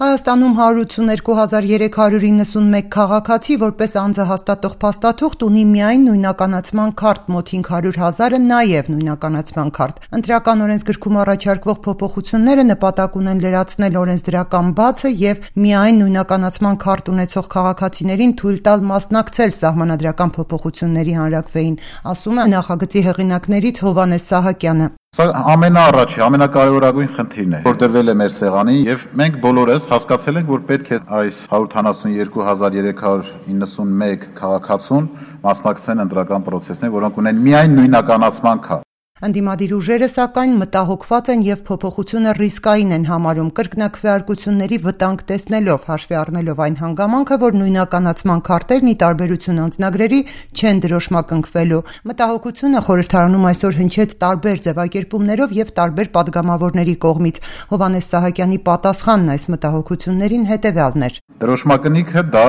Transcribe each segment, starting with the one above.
Հայաստանում 182,391 քաղաքացի որպես անձը հաստատող փաստաթուղթ ունի միայն նույնականացման քարտ, մոտ 500,000-ը նաև նույնականացման քարտ։ Ընտրական օրենսգրքում առաջարկվող փոփոխությունները նպատակ ունեն լրացնել օրենսդրական բացը եւ միայն նույնականացման քարտ ունեցող քաղաքացիներին թույլ տալ մասնակցել սահմանադրական փոփոխությունների հանրաքվեին, ասում է նախագծի հեղինակներից Հովհաննես Սահակյանը։ Սա ամենաառաջի, ամենակարևորագույն խնդիրն է, որ դրվել է մեր սեղանին, եւ մենք բոլորս հասկացել ենք, որ պետք է այս 172,391 քաղաքացուն մասնակցեն ընտրական պրոցեսներին, որոնք ունեն միայն նույնականացման քարտ։ Ընդդիմադիր ուժերը, սակայն, մտահոգված են եւ փոփոխությունը ռիսկային են համարում կրկնակվեարկությունների վտանգ տեսնելով, հաշվի առնելով այն հանգամանքը, որ նույնականացման քարտերն ի տարբերություն անձնագրերի չեն դրոշմակնքվելու։ Մտահոգությունը խորհրդարանում այսօր հնչեց տարբեր ձևակերպումներով եւ տարբեր падգամավորների կողմից։ Հովհաննես Սահակյանի պատասխանն այս մտահոգություններին հետեւյալն էր. Դրոշմակնիքը դա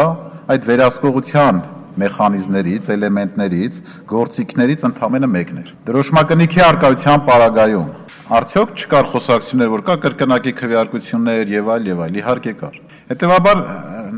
այդ վերահսկողության մեխանիզմներից, էլեմենտներից, գործիքներից ընդամենը մեկն էր։ Դրոշմակնիքի արկայության պարագայում արդյոք չկար խոսակցություններ, որ կա կրկնակի քվեարկություններ եւ այլ, իհարկե կար։ Հետևաբար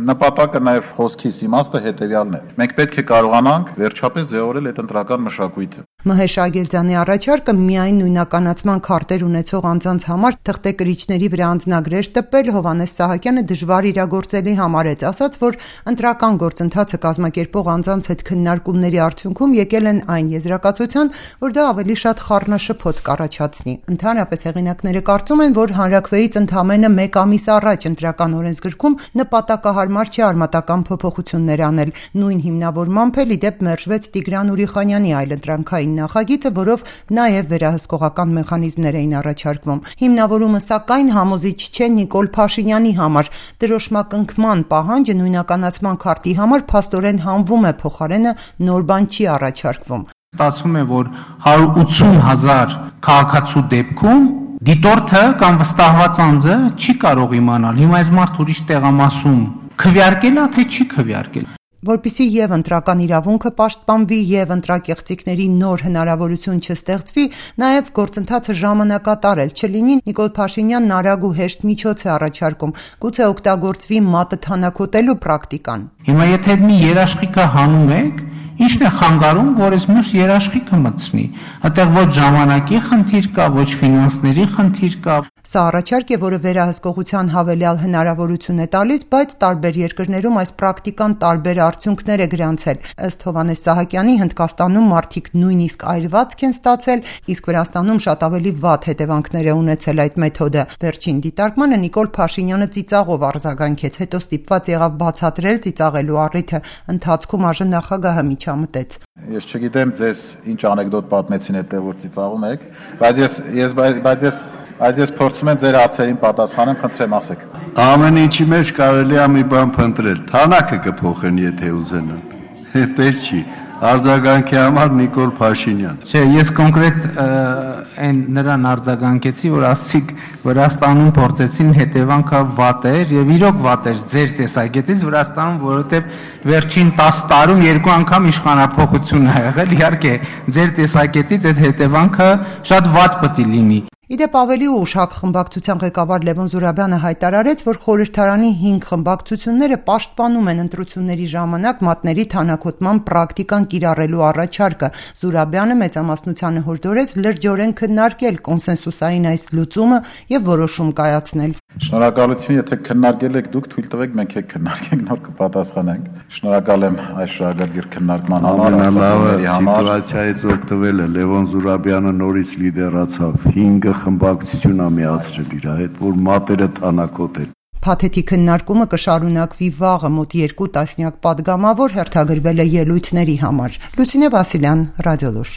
նպատակը նաեւ խոսքիս իմաստը հետեւյալն է։ Մենք պետք է կարողանանք վերջապես ձևավորել այդ ընտրական մշակույթը։ Մհեր Շագելձյանի առաջարկը միայն նույնականացման քարտեր ունեցող անձանց համար թղթեկրիչների վրա անձնագրեր տպել Հովհաննես Սահակյանը դժվար իրագործելի համարեց, ասաց, որ ընտրական գործընթացը կազմակերպող անձանց հետ քննարկումների արդյունքում եկել են այն եզրակացության, որ դա ավելի շատ խառնաշփոթ կառաջացնի։ Ընդհանրապես հեղինակները կարծում են, որ հանրաքվեից ընդամենը 1 ամիս առաջ ընտրական օրենսգրքում նպատակահարմար չէ արմատական փոփոխություններ անել։ Նույն հիմնավորմամբ էլ ի դեպ մերժվեց Տիգրան Ուրիխանյանի այլընտրանքային նախագիծը, որով նաև վերահսկողական մեխանիզմներ էին առաջարկվում։ Հիմնավորումը, սակայն, համոզիչ չէ Նիկոլ Փաշինյանի համար։ Դրոշմակնքման պահանջը նույնականացման քարտի համար փաստորեն հանվում է, փոխարենը նոր բան չի առաջարկվում։ Ստացվում է, որ 180,000 քաղաքացու դեպքում դիտորդը կամ վստահված անձը չի կարող իմանալ հիմա այս մարդ ուրիշ տեղամասում քվեարկել է, թե չի քվեարկել։ Որպեսզի եւ ընտրական իրավունքը պաշտպանվի եւ ընտրակեղծիքների նոր հնարավորություն չստեղծվի, նաեւ գործընթացը ժամանակատար չլինի, Նիկոլ Փաշինյանն արագ ու հեշտ միջոց է առաջարկում, գուցե օգտագործվի մատը թանաքոտելու պրակտիկան։ Հիմա եթե մի երաշխիքը հանում եք, ինչն է խանգարում, որ այս մյուս երաշխիքը մտցնի։ Այդտեղ ոչ ժամանակի խնդիր կա, ոչ ֆինանսների խնդիր կա։ Սա առաջարկ է, որը վերահսկողության հավելյալ հնարավորություն է տալիս, բայց տարբեր երկրներում այս պրակտիկան տարբեր արդյունքներ է գրանցել։ Ըստ Հովհաննես Սահակյանի, Հնդկաստանում մարդիկ նույնիսկ այրվածք են ստացել, իսկ Վրաստանում շատ ավելի վատ հետևանքներ է ունեցել այդ մեթոդը։ Վերջին դիտարկմանը Նիկոլ Փաշինյանը ծիծաղով արձագանքեց, հետո ստիպված եղավ բացատրել ծիծաղելու առիթը։ Ընթացքում ԱԺ նախագահը միջամտեց։ Ես չգիտեմ ձեզ ինչ անեկդոտ պատմեցին հետո որ ծիծաղում եք, բայց ես փորձում եմ ձեր հարցերին պատասխանեմ, խնդրեմ ասեք։ Ամեն ինչի մեջ կարելի է մի բան փնտրել։ Թանակը կփոխեն, եթե ուզենան։ Պետք չի։ Արձագանքի համար Նիկոլ Փաշինյան։ Չէ, ես կոնկրետ այն նրան արձագանքեցի, որ ասցիք Վրաստանում փորձեցին հետևանքը վատ էր եւ իրոք վատ էր ձեր տեսակետից Վրաստանում, որովհետեւ վերջին 10 տարում 2 անգամ իշխանափոխություն ա եղել, իհարկե ձեր տեսակետից այդ հետևանքը շատ վատ պետք է լինի։ Իդեպ ավելի ուշ ՀԱԿ խմբակցության ղեկավար Լևոն Զուրաբյանը հայտարարեց, որ խորհրդարանի 5 խմբակցությունները պաշտպանում են ընտրությունների ժամանակ մատների թանաքոտման պրակտիկան կիրառելու առաջարկը։ Զուրաբյանը մեծամասնությանը հորդորեց լրջորեն քննարկել կոնսենսուսային այս լուծումը եւ որոշում կայացնել։ Շնորհակալություն, եթե քննարկել եք դուք, թույլ տվեք մենք էլ քննարկենք, նոր կպատասխանենք։ Շնորհակալ եմ այս շահագրգիռ քննարկման համար։ Սիտուացիայից օգտվելը Լևոն Զուրաբյանը նորից լիդերացավ 5 խմբակցություն ա միացրել իր հետ, որ մատերը թանաքոտել։ Փաթեթի քննարկումը կշարունակվի վաղը, մոտ 2 տասնյակ պատգամավոր հերթագրվել է ելույթների համար։ Լուսինե Վասիլյան, Ռադիոլուր։